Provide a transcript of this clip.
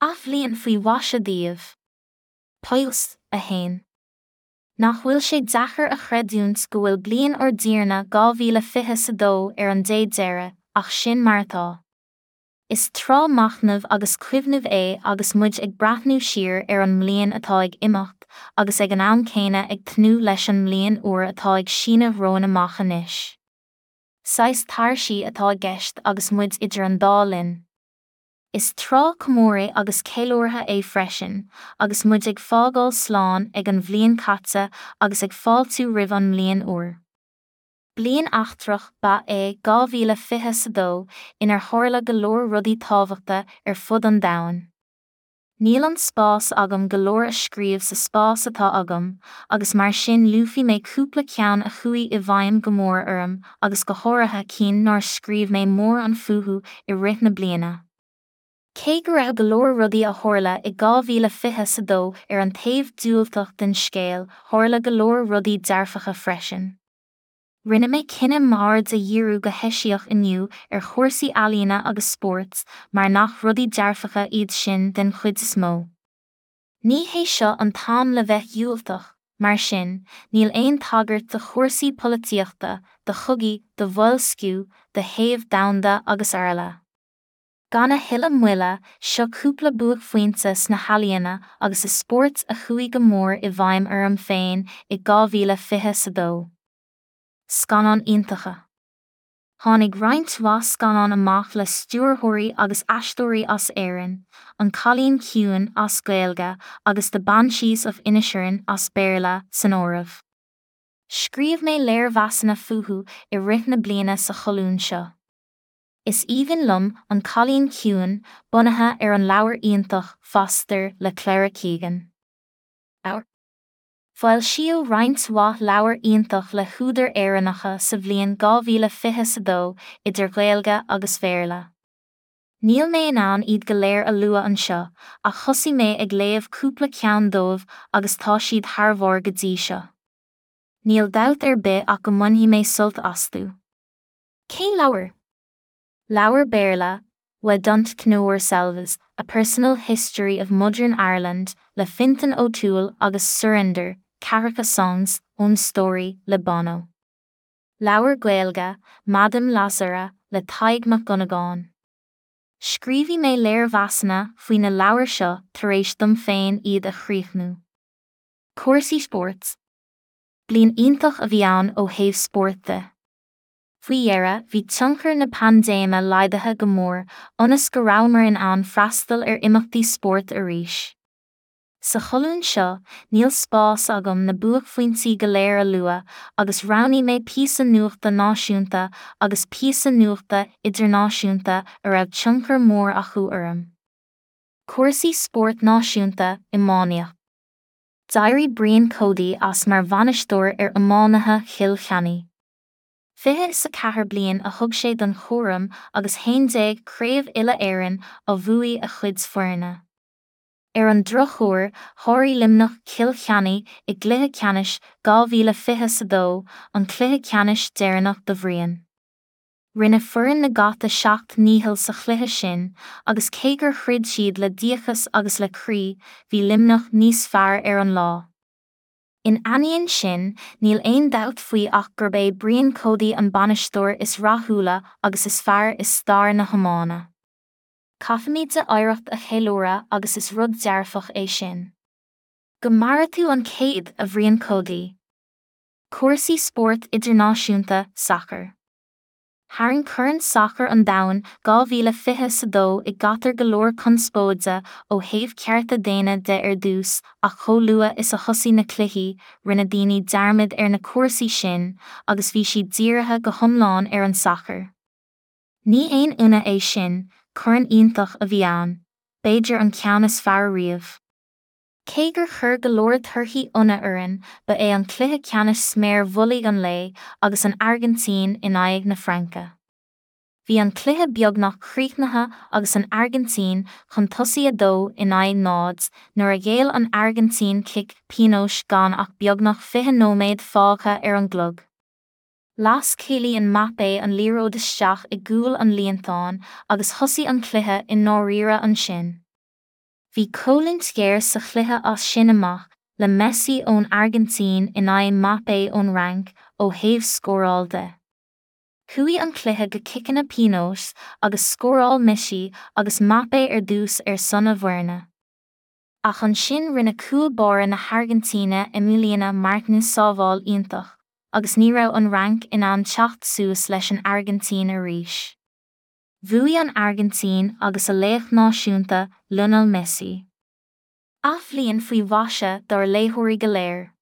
Athbhliain faoi mhaise daoibh. Post 1. Nach bhfuil sé deacair a chreidiúint go bhfuil bliain ár dTiarna 2022 ar an dé deiridh, ach sin mar atá. Is tráth machnaimh agus cuimhnimh é agus muid ag breathnú siar ar an mbliain atá ag imeacht agus ag an am céanna ag tnúth leis an mbliain úr atá ag síneadh romhainn amach anois. Saghas tairsí atá i gceist agus muid idir an dá linn. Is tráth comóraidh agus ceiliúrtha é freisin, agus muid ag fágáil slán ag an bhliain caite agus ag fáiltiú roimh an mbliain úr. Bliain eachtrach ba ea 2022 inar tharla go leor rudaí tábhachta ar fud an domhain. Níl an spás agam go leor a scríobh sa spás atá agam, agus mar sin luafaidh mé cúpla ceann a chuaigh i bhfeidhm go mór orm agus go háirithe cinn nár scríobh mé mórán fúthu i rith na bliana. Cé go raibh go leor rudaí a tharla i 2022 ar an taobh diúltach den scéal, tharla go leor rudaí dearfacha freisin. Rinne mé cinneadh m'aird a dhíriú go heisiach inniu ar chúrsaí ealaíona agus spóirt mar nach rudaí dearfacha iad sin den chuid is mó. Ní hé seo an t-am le bheith diúltach, mar sin, níl aon tagairt do chúrsaí polaitíochta, do chogaí, do bhoilsciú, do théamh domhanda agus araile. Gan a thuilleadh moille, seo cúpla buaicphointe sna healaíona agus i spórt a chuaigh go mór i bhfeidhm orm féin i 2022. Scannáin iontacha. Tháinig roinnt mhaith scannán amach le stiúrthóirí agus aisteoirí as Éirinn, An Cailín Ciúin as Gaeilge agus The Banshees of Inisherin as Béarla, san áireamh. Scríobh mé léirmheasanna fúthu i rith na bliana sa cholún seo. Is aoibhinn liom An Cailín Ciúin, bunaithe ar an leabhar iontach Foster le Claire Keegan. Foilsíodh roinnt mhaith leabhar iontach le húdair Éireannacha sa bhliain 2022, idir Ghaeilge agus Bhéarla. Níl mé in ann iad go léir a lua anseo, ach thosaigh mé ag léamh cúpla ceann dóibh agus tá siad thar bharr go dtí seo. Níl dabht ar bith ach go mbainfidh mé sult astu. Cén leabhar? Leabhar Béarla, We Don't Know Ourselves, A Personal History of Modern Ireland le Fintan O'Toole agus Surrender, Ceathracha Songs, Own Story le Bono. Leabhar Gaeilge, Madame Lazare le Tadhg Mac Dhonnagáin. Scríobhfaidh mé léirmheasanna faoi na leabhair seo tar éis dom féin iad a chríochnú. Cúrsaí spóirt. Bliain iontach a bhí ann ó thaobh spóirt de. Faoi dheireadh, bhí tionchar na paindéime laghdaithe go mór, ionas go rabhamar in ann freastal ar imeachtaí spóirt arís. Sa cholún seo, níl spás agam na buaicphointí go léir a lua, agus roghnaigh mé píosa nuachta náisiúnta agus píosa nuachta idirnáisiúnta a raibh tionchar mór acu orm. Cúrsaí spóirt náisiúnta, iománaíocht. D'éirigh Brian Cody as mar bhainisteoir ar iománaithe Chill Chainnigh. 24 bliain a thug sé don chúram agus 11 Craobh Uile-Éireann á bhuaigh a chuid foirne. Ar an drochuair, sháraigh Luimneach Cill Chainnigh i gcluiche ceannais 2022, an cluiche ceannais deireanach do Bhrian. Rinne foireann na gCat a seacht ndícheall sa chluiche sin agus cé gur throid siad le díocas agus le croí, bhí Luimneach níos fearr ar an lá. In ainneoin sin, níl aon dabht faoi ach gurb é Brian Cody an bainisteoir is rathúla agus is fearr i stair na hiomána. Caithfimid a oidhreacht a cheiliúradh agus is rud dearfach é sin. Go maire tú an céad, a Bhrian Cody! Cúrsaí spóirt idirnáisiúnta, sacar. Tharraing Corn Sacair an Domhain 2022 i gCatar go leor conspóide ó thaobh cearta daonna de ar dtús ach chomh luath is a thosaigh na cluichí, rinne daoine dearmad ar na cúrsaí sin agus bhí siad dírithe go hiomlán ar an sacar. Ní haon ionadh é sin, corn iontach a bhí ann, b'fhéidir an ceann is fearr riamh. Cé gur chuir go leor torthaí ionadh orainn, ba é an cluiche ceannais sméar mhullaigh an lae agus an Airgintín in aghaidh na Fraince. Bhí an cluiche beagnach críochnaithe agus an Airgintín chun tosaigh 2 in aghaidh 0 nuair a ghéill an Airgintín cic pionóis gan ach beagnach 20 nóiméad fágtha ar an gclog. Las Kylian Mbappé an liathróid isteach i gcúl an líontáin agus thosaigh an cluiche i ndáiríre ansin. Bhí coimhlint ghéar sa chluiche as sin amach, le Messi ón Airgintín in aghaidh Mbappé ón Fhrainc ó thaobh scóráil de. Chuaigh an cluiche go ciceanna pionóis agus scóráil Messi agus Mbappé ar dtús ar son a bhfoirne. Ach ansin rinne cúl báire na hAirgintíne Emiliano Martinez sábháil iontach agus ní raibh an Fhrainc in ann teacht suas leis an Airgintín arís. Bhuaigh an Airgintín agus a laoch náisiúnta, Lionel Messi. Athbhliain faoi mhaise dár léitheoirí go léir.